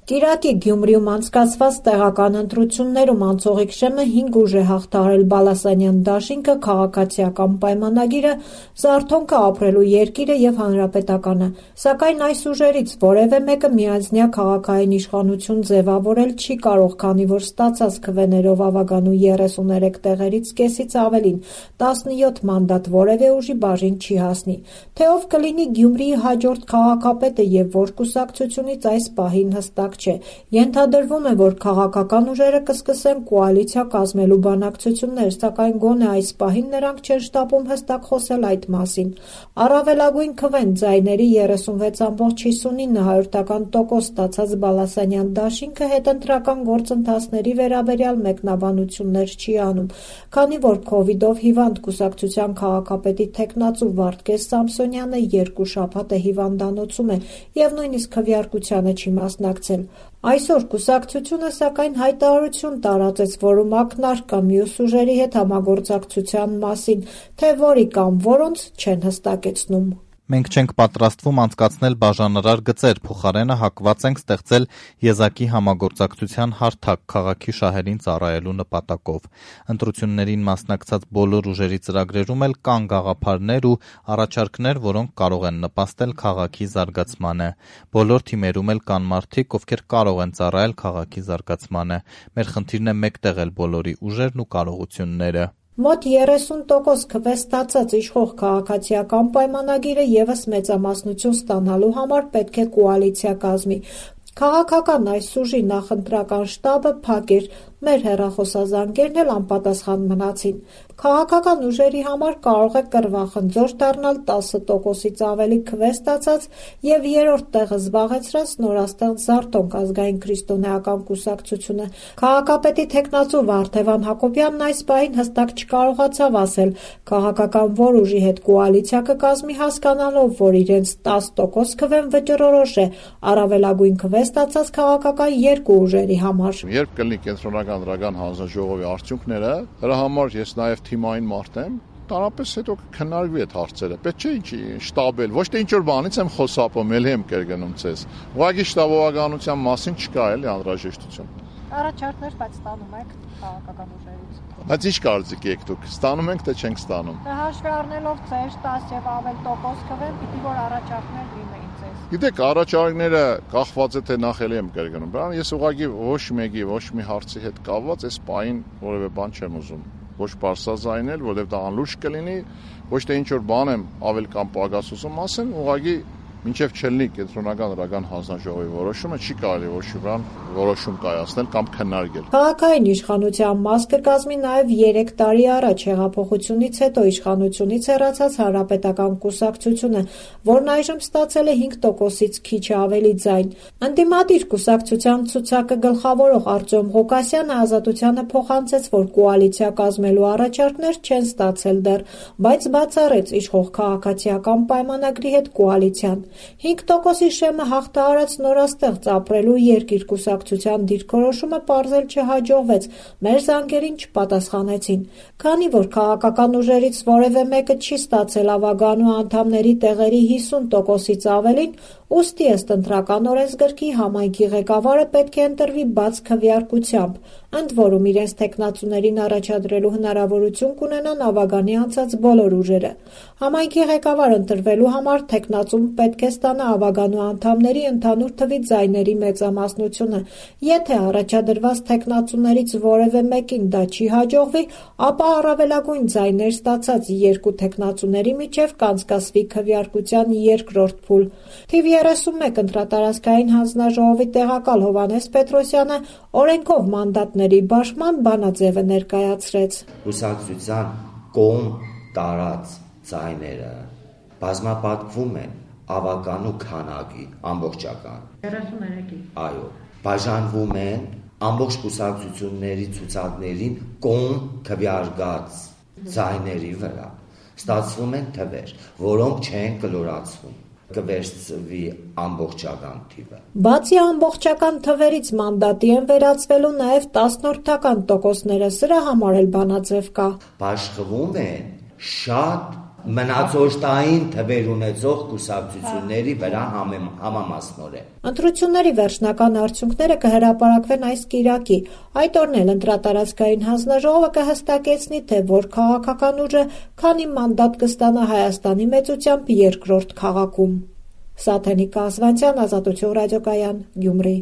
Կիրակի Գյումրիում անցկացված տեղական ընտրություններում անցողիկ շեմը 5 ուժ է հաղթահարել Բալասանյան դաշինքը, քաղաքացիական պայմանագիրը, Զարթոնքը, ապրելու երկիրը և Հանրապետականը, սակայն այս ուժերից որևէ մեկը միանձնյա քաղաքային իշխանություն ձևավորել չի կարող, քանի որ ստացած քվեներով ավագանու 33 տեղերից կեսից ավելին, 17 մանդատ որևէ ուժի բաժին չի հասնի, թե ով կլինի Գյումրիի հաջորդ քաղաքապետը և որ կուսակցությունից այս պահին հստակ չէ, ենթադրվում է, որ քաղաքական ուժերը կսկսեն կոալիցիա կազմելու բանակցություններ, սակայն գոնե այս պահին նրանք չեն շտապում հստակ խոսել այդ մասին։ Առավելագույն քվեն ձայների 36,59% ստացած Բալասանյան դաշինքը հետընտրական գործընթացների վերաբերյալ մեկնաբանություններ չի անում, քանի որ քովիդով հիվանդ կուսակցության քաղաքապետի թեկնածու Վարդգես Սամսոնյանը 2 շաբաթ է հիվանդանոցում է և նույնիսկ քվեարկությանը չի մասնակցել։ Այսօր կուսակցությունը սակայն հայտարարություն տարածեց, որում ակնարկ կա մյուս ուժերի հետ համագործակցության մասին, թե որի կամ որոնց չեն հստակեցնում։ Մենք չենք պատրաստվում անցկացնել բաժանարար գծեր, փոխարենը հակված ենք ստեղծել եզակի համագործակցության հարթակ քաղաքի շահերին ծառայելու նպատակով։ Ընտրություններին մասնակցած բոլոր ուժերի ծրագրերում էլ կան գաղափարներ ու առաջարկներ, որոնք կարող են նպաստել քաղաքի զարգացմանը։ Բոլոր թիմերում էլ կան մարդիկ, ովքեր կարող են ծառայել քաղաքի զարգացմանը։ Մեր խնդիրն է մեկտեղել բոլորի ուժերն ու կարողությունները։ Մոտ 30% քվե ստացած իշխող քաղաքացիական պայմանագիրը ևս մեծամասնություն ստանալու համար պետք է կոալիցիա կազմի։ Քաղաքական այս ուժի նախընտրական շտաբը փակ էր, մեր հեռախոսազանգերն էլ անպատասխան մնացին։ Քաղաքական ուժերի համար կարող է կռվախնձոր դառնալ 10%-ից ավելի քվե ստացած և երրորդ տեղը զբաղեցրած նորաստեղծ Զարթոնք ազգային քրիստոնեական կուսակցությունը։ Քաղաքապետի թեկնածու Վարդևան Հակոբյանն այս պահին հստակ չկարողացավ ասել քաղաքական որ ուժի հետ կոալիցիա կկազմի, հասկանալով, որ իրենց 10% քվեն վճռորոշ է առավելագույն քվե ստացած քաղաքական երկու ուժերի համար։ Երբ կլինի կենտրոնական դրական հանձնաժողովի արդյունքները, դրա համար ես նաև թիմային մարդ եմ, տարապես հետո քննարկվի այդ հարցերը։ Պետք չէ շտաբել, ոչ թե ինչ որ բանից եմ խոսապում, ելի եմ կերգնում ցես։ Ուղղակի շտաբողականության մասին չկա էլի անհրաժեշտություն։ Առաջարկներ բայց ստանում եք քաղաքական ուժերից։ Բայց ինչ կարծիք եք դուք, ստանում ենք թե չենք ստանում։ Հաշվի առնելով ձեր 10 եւ ավել տոկոս քվեն, պիտի որ առաջարկներ լինեին ձեզ։ Գիտեք, առաջարկները կախված է թե նախ էլի եմ կերգնում։ Բան ես ուղղակի ոչ մեկի, ոչ մի հարցի հետ կապված այս պահին որևէ բան չեմ ուզում։ Ոչ բարձրաձայնել, որովհետև դա անլուրջ կլինի, ոչ թե ինչ որ բան եմ ավել կամ պակաս ուզում ասեմ, ուղղակի մինչև չլինի կենտրոնական դրական հանձնաժողովի որոշումը չի կարելի ոչ մի բան որոշում կայացնել կամ քննարկել։ Քաղաքային իշխանության մաս կկազմի նաև 3 տարի առաջ հեղափոխությունից հետո իշխանությունից հեռացած Հանրապետական կուսակցությունը, որն այժմ ստացել է 5%-ից քիչ ավելի ձայն։ Ընդդիմադիր կուսակցության ցուցակը գլխավորող Արտյոմ Ղուկասյանը Ազատությանը փոխանցեց, որ կոալիցիա կազմելու առաջարկներ չեն ստացել դեռ, բայց բացառեց իշխող քաղաքացիական պայմանագրի հետ կոալիցիան։ 5%-ի շեմը հաղթահարած նորաստեղծ ապրելու երկիր կուսակցության դիրքորոշումը պարզել չհաջողվեց, մեր զանգերին չպատասխանեցին։ Քանի որ քաղաքական ուժերից որևէ մեկը չի ստացել ավագանու անդամների տեղերի 50%-ից ավելին, ուստի ըստ ընտրական օրենսգրքի համայնքի ղեկավարը պետք է ընտրվի բաց քվեարկությամբ, ընդ որում իրենց թեկնածուներին առաջադրելու հնարավորություն կունենան ավագանի անցած բոլոր ուժերը։ Համայնքի ղեկավար ընտրվելու համար թեկնածուն պետք է ստանա ավագանու անդամների ընդհանուր թվի ձայների մեծամասնությունը։ Եթե առաջադրված թեկնածուներից որևէ մեկին դա չի հաջողվի, ապա առավելագույն ձայներ ստացած երկու թեկնածուների միջև կանցկացվի քվեարկության երկրորդ փուլ։ Թիվ 31 ընտրատարածքային հանձնաժողովի տեղակալ Հովհաննես Պետրոսյանը օրենքով մանդատների բաշխման բանաձևը ներկայացրեց։ Կուսակցության կողմ տարած ձայները բազմապատկվում են ավականու քանակի ամբողջական 33-ի։ Այո, բաժանվում են ամբողջ կուսակցությունների ցուցակներին կողմ քվեարկած ձայների վրա։ Ստացվում են թվեր, որոնք չեն կլորացվում։ Կվերցվի ամբողջական թիվը։ Բացի ամբողջական թվերից մանդատի են վերածվելու նաև 10%-ական տոկոսները, սրա համար էլ բանաձև կա։ Բաշխվում են շատ մնացորդային թվեր ունեցող կուսակցությունների վրա համամասնորեն։ Ընտրությունների վերջնական արդյունքները կհրապարակվեն այս կիրակի։ Այդ օրն էլ ընտրատարածքային հանձնաժողովը կհստակեցնի, թե որ քաղաքական ուժը քանի մանդատ կստանա Հայաստանի մեծությամբ երկրորդ քաղաքում։ Սաթենիկ Կազվանցյան, Ազատություն ռադիոկայան, Գյումրի։